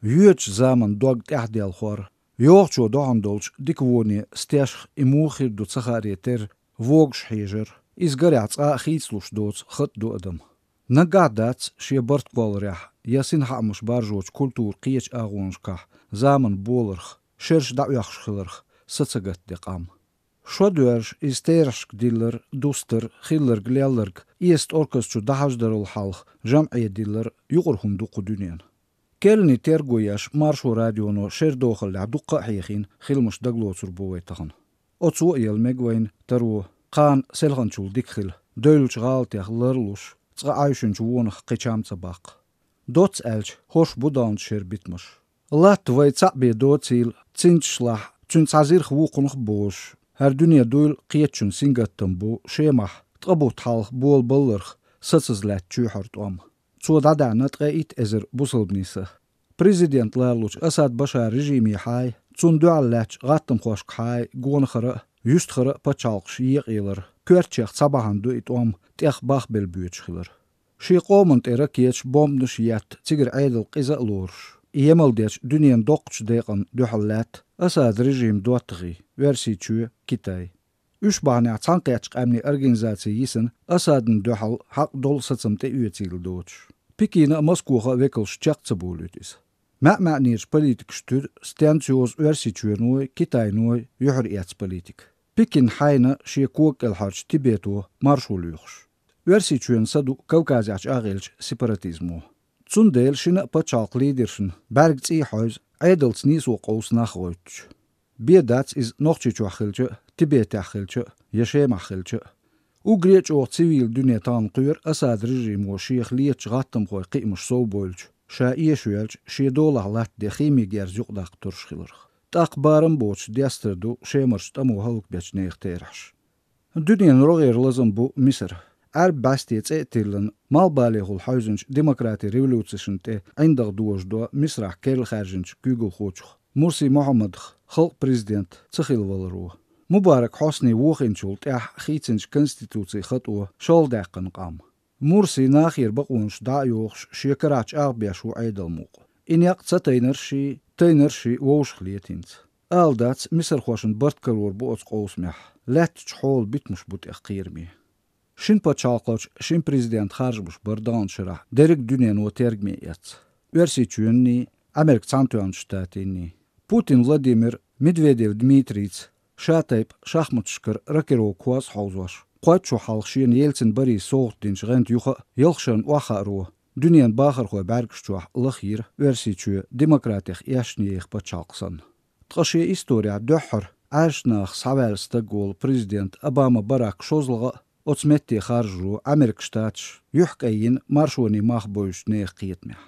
Юч zaman дог тяхдел хор. Йохчо доhandolch диквони стяш имухир ду цахаретер вогш хижер. Изгаряц хицлуш доц хат дуадам. Нагадац шie bartkolrях. Ясин хамуш баржоч культур қиеч агоншках. Zaman болырх. Шерш дауяхшхилырх. Сацагат декам. Шодуерш истершк диллер, дустер, хиллер, гляллерг, иест оркестру дахаждарул халх, жам'ия диллер, югурхум дуқу дуниян. Келни тергуяш маршу радионо шер дохал лабдуққа хейхин, хилмуш даглоцур бовайтахан. Оцу ел мегвайн, тару, қан селханчул дикхил, дөйлч ғалтях лырлуш, цға айшынч уонах қичамца бақ. Доц әлч, хош будан шер битмаш. Лат вай цапбе доцил, цинчлах, цунцазирх вуқунх бош. Her dünya duyul qiyetçün singattın bu şeymah, tıqabut halq bol ballırx, satsızlat çühart om. Çodada natqa it ezer busalbnisi. Prezident Larluç Asad Başar rejimi hay, çun duallat qattım xoşq hay, gonxara, yüstxara paçalqş yiqilır. Körçeq sabahan du it om, tex bax belbüçxilır. Şi qomant era kiyeç bombnuş yat, tigir aydıl qiza lurş. Yemeldeç dünyanın doqç deqan duhallat, Asad rejim duatğı, versiçü Kitay. Üç bahane çanqyaçq amni organizasiyisin Asadın duhal haq dol satsımte üyetil doç. Pikina Moskova vekelş çaqça bolutis. Ma'nirç politik stüd stansios versiçünoy Kitaynoy yuhriyats politik. Pikin hayna şekok elharç Tibeto marşuluyux. Versiçün sadu Kavkazaç ağelç separatizmo. Tsundel şina paçaq liderşin bergtsi hoyz Aydels niso qaus nakhroytch. Biedats is nochchichu khilche, Tibet khilche, yeshem khilche. Ugriech o civil dünyetan qyr Asad rejim o sheikh liech ghattam qoy qimush sobolch. Sha yeshwelch shedolah lat de khimi gerzuq daqturshkhilr. Taqbarım boç diasterdu shemersh tamu haluk bech neextersh. Dünyen roger lazım bu Misr. Bastet etilin malbalehul huizench demokrati revolution te eindag doosdo misrach kel kharjench Google khoch. Mursi Mohammed khalq president tsakhil walro. Mubarak Hosni wochenchult khitsench konstitutie khatو sholdaqan qam. Mursi nakhir baqunsh dayox shekarach arbeshu aidalmuq. Inyaq tsateiner shi woshkhlietins. Aldats misr khoshin bartkaror bu otsqosmeh. Lat chhol bitmush but aqirmi. Şin paçalqaç, şin prezident harjbuş bardan şırah, derek dünyen o tergmeyets. Versiçünni, Amerik Santuan ştatini. Putin Vladimir Medvedev Dmitrits, Şatayp, Şahmatşkır, Rakero Kuas Hauzvaş. Qoyçu halqşin Yeltsin bari soğutdinç gant yuxa, yılxşan vaxaru. Dünyen baxar xoy bergşçuah lıxir, versiçü demokratik yaşniyek paçalqsan. Tqaşı istoriya döhür, aşnaq savelsta gol prezident Obama Barack şozlığa, Otsmetti kharjru Amerik Штатч yuhkayin marshoni mahboysh neqiyetmeh.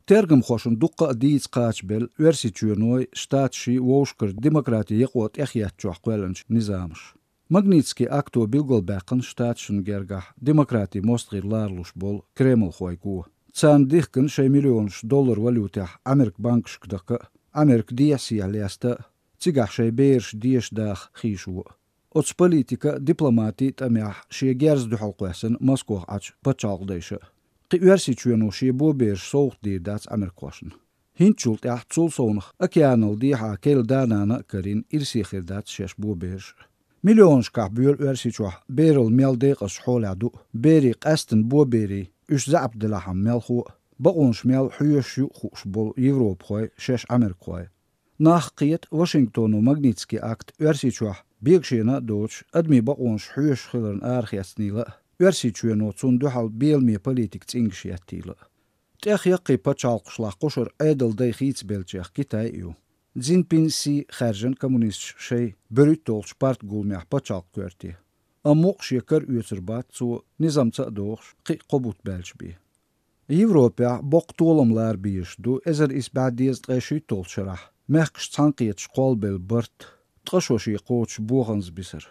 Tergim khoshun duqqa diits qaachbel versiçünoy Штатши woshkir demokrati yeqot ehyatchuh qwelanch nizamsh. Magnitski akto bilgolbaqan Штатшun gergah demokrati mostgir larlush bol Kreml khoyku. Tsan dihkin $6 milyon valyutah Amerik bankshkdaka Amerik diasiyalesta cigah beersh dieshdaq khishu. Ots politika diplomati tamah şie gerz duhalqasan Moskva aç paçalqdayşı. Qiversiçüno şie boberş soğutdirdats Amerikwaşın. Hinçult sul sonx okeanal diha kel danana karin irsixirdats şeş boberş. Milyonşqa bül versiçuh beril meldeqas holadu beri qastin boberi üç zabdilaham melxu baqonş mel huyuşu xushbol Evropxoy şeş Amerikxoy. Naqiyet Washingtonu Magnitski akt versiçuh Biegşena doç admi baqonş huyuş xilern arxiasnila versiçüno tsun duhal bielmi politik tsingşiyatila. Tex yaqi paçalqşlaq qoşur aydal day xitsbelçex Kitayyu. Jinping si xarjan kommunist şey börütolç part gulmeh paçalq körti. Amoq şekar üyesirbat su nizamça dox qi qobut belçbi. Evropa boqtolamlar biyişdu ezer isbadiz qeşitol şarah. Mehqş tsanqiyet şqolbel bart Tqashoshi qoch boğans bisir.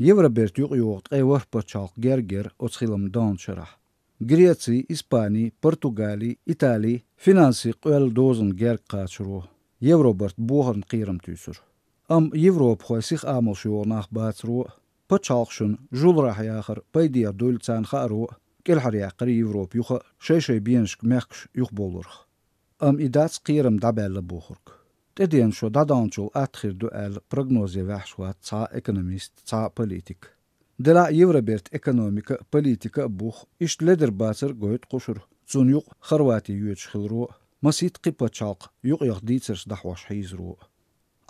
Yevrabert yuqyoqt qeywar paçalq gerger otsxilam danşarah. Greci, İspani, Portugali, İtali, finansi qwel dozun ger qaçro. Yevrobert boğan qiram tüsür. Am Yevrop xoysix amal şuonaq batsro. Paçalqşun julrah yaxır paydiya dulcan xaro. Kelhar yaqır Yevrop yuxa şey bienşk mehqş yuq bolurx. إداس قيرم دابيلا بوخرك تدين شو دادانشول أتخير دوال بروغنوزي وحشوات تا إكونوميست تا بوليتيك دلا يوربيرت إكونوميكا بوليتيكا بوخ إشت لدر باتر قويت قشر تون يوق خرواتي يوتش خلرو مسيت قيبا تشالق يوق يخديترس دحوش حيزرو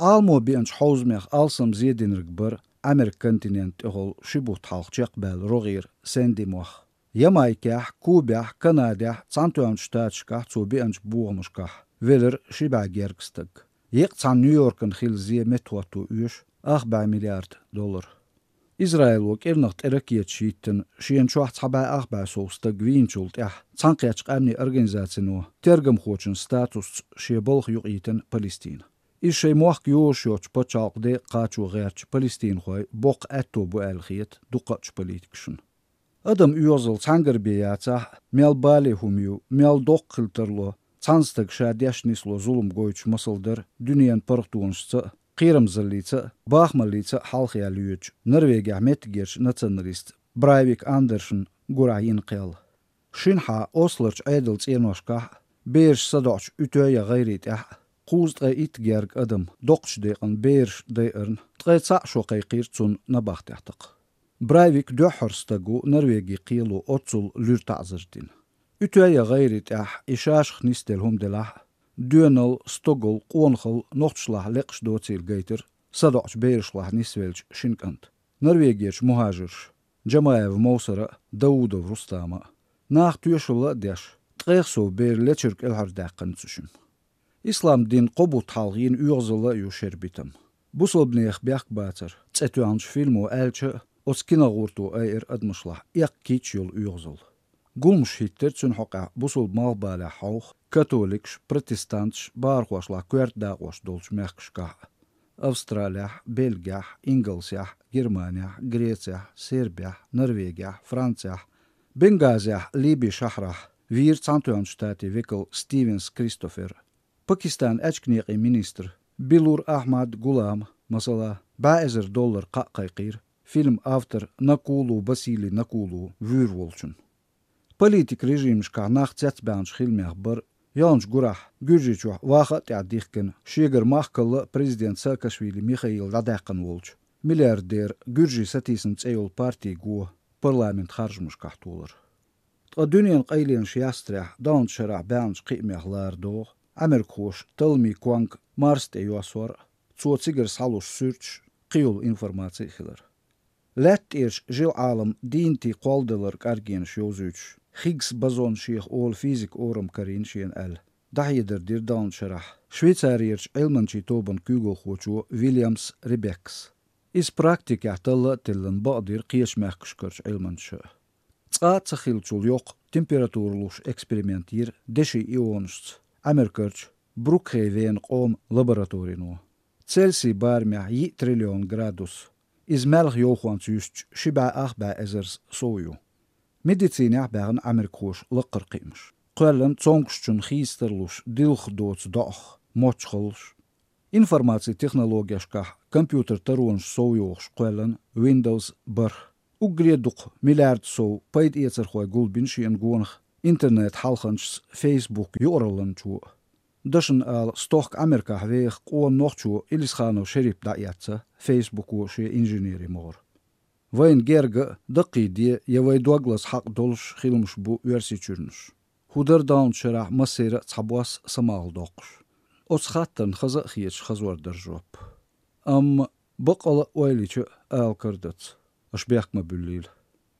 آلمو بيانش حوزميخ آلسم زيدين رقبر أمريك كونتيننت إغل شبو تحالق جيقبال روغير ساندي موخ يمايكاح كوباح كناداح تانتوان شتاتشكاح تو بيانش بوغمشكاح ويلر شبع جيركستك يقطعن نيويوركن خيل زي متواتو يوش 4 مليارد دولار إسرائيل وكيرنغت إركية شيتن شين شوحت حبا 4 سوستك وينشولت تانقياتش قامني أرغنزاتنو ترغم خوشن ستاتوس شيبولخ يقيتن فلسطين إشي موحك يوشيوش بچالق دي قاچو غيرش فلسطين خوي بوق أتو بو الخيت دوقاتش بوليتكشن أدم يوزل تانقر بياتح ميال بالي هميو ميال دوق خلترلو تانستك شاديش نسلو ظلم قويتش مصلدر دنيان برغتونشتا قيرم زليتا باخمليتا حالخيا ليوتش نرويجا متجيرش نتنريست برايفيك أندرشن قرعين قيل شنحا أوسلرش عيدلت إينوشكاح بيرش صدعش أتويا غيريت قوزت إتجيرج أدم دوقش ديقن بيرش ديقرن تغيتسا شوقي قيرتون نباخ تحتق برايفيك دوحرستقو نرويجي قيلو أتسل لورتعزرتين أتويا غيريت إشاش خنيستلهم دلاح دونل ستوغل قونخل نوختشلاح لقش دوتيل جيتر صدعش بيرشلاح نسويلش شنكنت نرويجيش مهاجرش جمايف موسرة داودو رستاما ناخ تويشلا ديش تغيخسو بير لتشرك الهر داقن تسوشم إسلام دين قبو تحالغين يغزلا يوشربيتم بوصل بنيخ بيخ باتر تسأتوانش فيلمو آلشا أسكينا غورتو اير أدمشلاح إيق كيتشيول يغزل قومش هيتر تسون حقا بوصل مالبالا حوخ كاثوليكش بروتستانتش بارخوشلا كويرت داقوش دولش ميخشكاح أستراليا بلغيا إنجلسيا جرمانيا غريتيا سيربيا نرويجيا فرانسيا بنغازيا ليبي شهرة وير تانتوان شتاتي ويكل ستيفنز كريستوفر باكستان أجكنيقي مينستر بيلور أحمد غلام مثلا $1000 قاقيقير فيلم أفتر نقولو بسيلي نقولو ويرولشن بوليتيك ريجيم شكا ناخ تتبانش خيلمي أخبر يانش قراح جورجيشوح واخا تعديخكن شيغر ماخكل بريزيدنت ساكاشويلي ميخائيل راداقن وولش ملياردير جورجي ساتيسن تسيول بارتي قوه برلامنت خارج مشكاحتولر الدنيا قيلين شياستريح داون شرع بانش قيمي أخلار دوغ أمريكوش تلمي كوانك مارست يواسور تسو تيجر سالوش سيرش قيول انفورماتي خلر لات إيرش جيل عالم دينتي قوالدلر كارجين شيوزوش خيكس بازون شيخ أول فيزيك أورم كارين شين دحيدر دير داون شرح شويتساريرش علمنشي توبن كوغل خوشو ويليامس ريبكس إس براكتيك يحتل تلن بقدر قيش مخكشكرش علمنشا تقات سخيلتشول يوق تمبيراتورلوش اكسبريمنتير دشي إيونشت أمريكرش بروكهيفين قوم لابوراتورينو تسلسي بارميح 1 تريليون جرادوس إز مالغ يوخوان تيوشت شبع أخبع أزرز صويو ميديتينيح باغن أمريكوش لقر قيمش قلن تونكشتون خيسترلوش ديلخ دوتس داخ موتشخلش إنفورماتي تكنولوجياشكاح كمبيوتر ترونش صويوش قلن ويندوز بر وقريدوق مليارد سو بايد إيتر خوي قول بنشي انقونخ إنترنت حالخنش فيسبوك يورلن شو دشن آل ستوخ أمريكا ويخ قوان نوخشو إليس خانو شريب داياتسا فيسبوكو شي إنجينيري مور وين جيرغ دقي دي يوي دوغلاس حق دولش خيلمش بو يرسيتشورنش هودر داون شرح مسيرة تحبواس سماغ دوقش أسخاتن خزا خيش خزور درجوب بقل ويليش آل كردت أشبيخ مبليل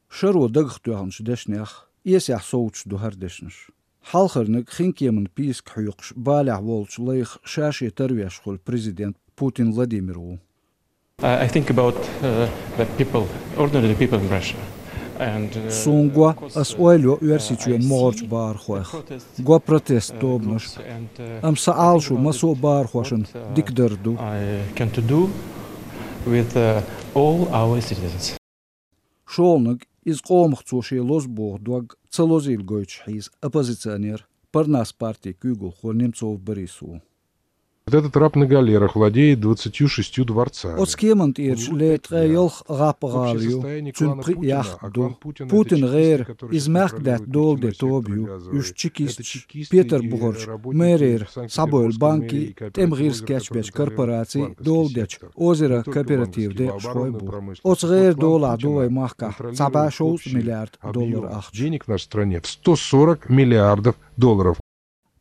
شرو دغخ توهنش دشنيخ يسيح صوتش دو هردشنش حالخرنك خينكي من بيسك حيوقش بالع وولش ليخ شاشي ترويش خل بريزيدنت بوتين فلاديميرو I think about the people, ordinary people in Russia. Sungwa as oilio uersituen morch barchoch. Gua protest dobnos. Am saalshu maso barchochen dikderdu. I can to do with all our citizens. Шолныг из qomxtsoshi losborg dwag tsalozil goich his oppositioneer parnas party kugel khol Nemtsov Borisu. Этот раб на галерах владеет 26 дворцами. Отскемент ирч летрейолх рапгалью, цун приях ду. Путин гейр измерк дат долде тобью, юш чекист, Петер Бугорч, мэрир, Сабойл банки, темгир скетчбеч корпораций, долдеч, озеро кооператив де шойбу. Отсгейр дола дуай махка, $7 миллиард ахч. Денег в нашей стране в 140 миллиардов долларов.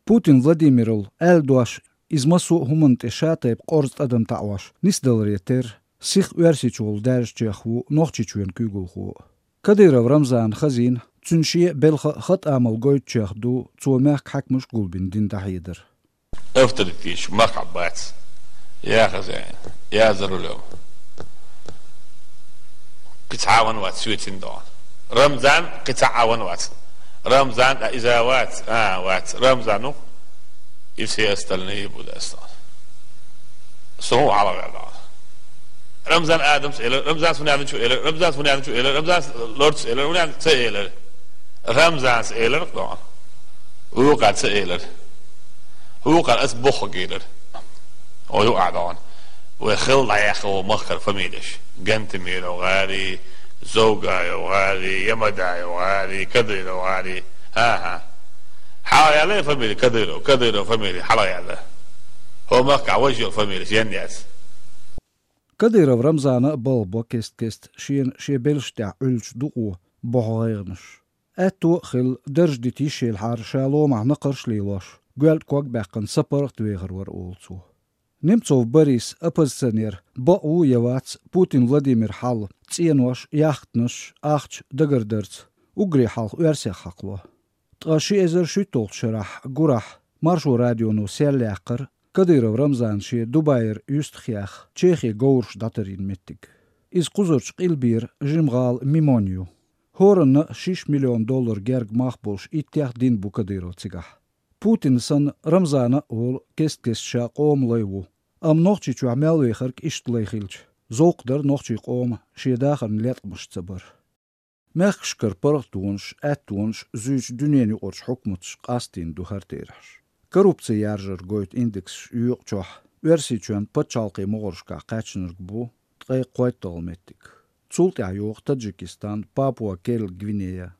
Путин Владимирл элдуаш измасу хуманте шатайп qorzt adam ta'wash nisdalreter sich uersичул дәржчеху нохчичуен күгулху Кадыров Рамзан Хазин цунши белха хат амал гойчехду цумах хакмуш гулбин дин тахидер افترتيش مقعبات يا خزان يا زرولو قطعاون وات سويتين دون رمضان قطعاون وات رمضان إذا وات رمضانو يفسي استلني بودا استان سو على غدا رمضان آدم سئل رمضان سنعمل شو إلى رمضان سنعمل شو إلى رمضان لورد سئل ونعمل سئل رمضان سئل رقدان وقعد سئل وقعد أسبخ قيلر ويقعدان ويخل عيخو مخر فميدش جنت مير وغالي زوجة وغالي يمدا وغالي كدر وغالي ها حالا يعلي فميلي كدر فميلي حالا يعلي هو مقع وجه فميلي جنياس Кадыров Рамзана балбо кест ши белштя үлч дуу богайгныш Эту хил държдити шел хар шало махна қыршлилош гөлт ког бақын сапарық двегервар олцу Немцов Борис оппозиционер бау явац Путин Владимир Хал ценош яхтныш ахч дагардерц угри хал версия хакло Таши эзер шитол шарах гурах маршу радиону серлякыр Кадыров Рамзан ши Дубайр юстхиях Чехи гоурш датарин меттик Из кузурч илбир жимгал мимонью Хорын $6 миллион герг махболш иттях дин бу Кадыров цигах Путин сан Рамзана ол кест ша қом лайву Ам нохчи чу амел вехарк ишт лайхилч Зоқдар нохчи қом шедахын летмыш цабар Мехшкар парахтунш әттунш зүйч дүниені орш хукмутш қастин духартираш Коррупция яржыр гойт индекс юq чох версичуан пачалқи моғыршқа қачынырг бу тғай қойттал меттик Цултя юq Таджикистан, Папуа Кел Гвинея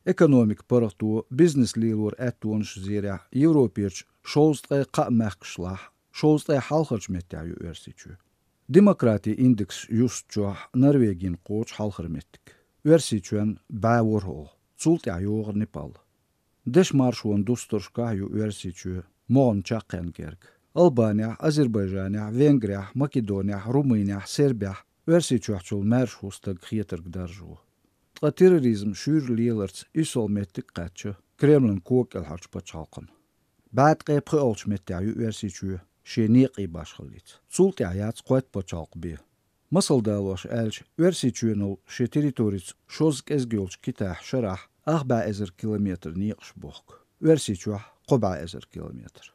Экономик парахту бизнес лилур әттунш зиря Европирч шолстғай қа мәхкшлах шолстғай халқырч меття ю версичу Демократия индекс юст чох Норвегин қоч халқыр меттик Версичуан бәуырхол Цултя юq Непал Деш маршуан дусторшка ю версичу Моғын чаққан керг Албания, Азербайджания, Венгрия, Македония, Румыния, Сербия версичуахчул маршустаг хиетырг даржу Тға терроризм шүр лиеларц исол меттик қатчы Кремлін кок елхарч пачалқын Бәт қайпқы олч меття ю версичу Шенеқи башқылиц Цултя яц қойт пачалқ бе Мысылдалош әлч версичуенул ше территориц шозг ezgiolch kitah шарах 4 километр ниқш бохк. Версичуах 4 километр.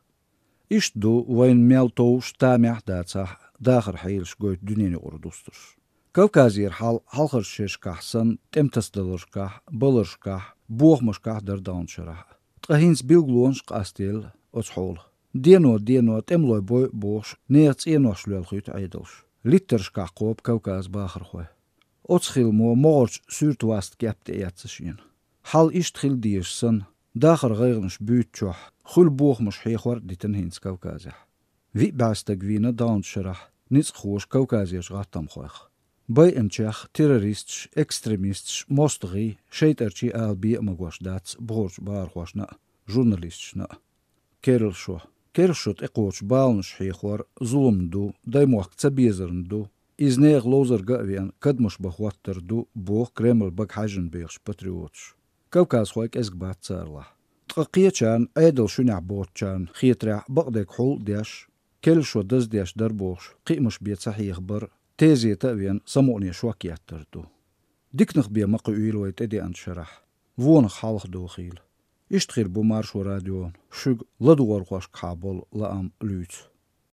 Ишду вайн мелтоу штамях дацах дахар хейлш гойт дүниені ордустуш. Кавказир халқыр шешкахсан темтасталыршках, балыршках, буохмышках дардауншарах. Тғахинс билглуоншк астел оцхол. Дено темлой бой бош неяц еношлел хүйт айдылш. Литтершках қоп Кавказ бахырхой. Оцхилмо моғырч сүртваст кепте яцышин. Хал иштхил дiyeshsan дахар гайгныш бүйтчох хул буохмыш хейхвар дитен хинс Кавказя. Ви бастагвина дауншарах ниц хош Кавказяш гаттам хойх. Бай энчах террорист, экстремист, мостги, шейтарчи алби магваш дац борч бархвашна журналистшна. Кершот экоч балнш хейхвар зулумду даймох цабезернду изнег лозерга вен кадмыш бахваттерду бог Кремль бакхажен бейш патриотш. Кавказ خويك ازقبات صارله تقيتشان ايدل شنع بوتشان خيترع بقدك حول ديش كل شو دز ديش دربوش قيمش بيت صحيح بر تيزي تأوين سموني شوكيات تردو ديكنخ بيا مقويل ويتدي انشرح وون خالخ دوخيل اشتخيل بمارشو راديون شوق لدوار خوش كابل لأم لوت